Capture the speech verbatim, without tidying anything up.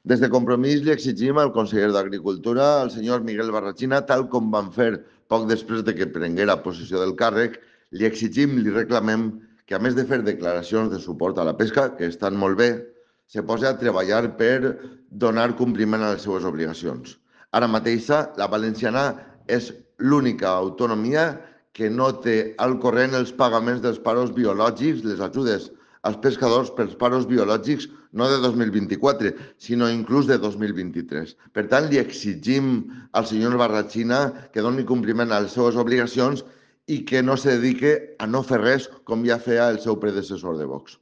Des de Compromís li exigim al conseller d'Agricultura, el senyor Miguel Barrachina, tal com van fer poc després de que prenguera possessió del càrrec, li exigim, li reclamem que, a més de fer declaracions de suport a la pesca, que estan molt bé, se posi a treballar per donar compliment a les seves obligacions. Ara mateixa, la valenciana és l'única autonomia que no té al corrent els pagaments dels paros biològics, les ajudes als pescadors pels paros biològics, no de dos mil vint-i-quatre, sinó inclús de dos mil vint-i-tres. Per tant, li exigim al senyor Barrachina que doni compliment a les seves obligacions i que no se dedique a no fer res com ja feia el seu predecessor de Vox.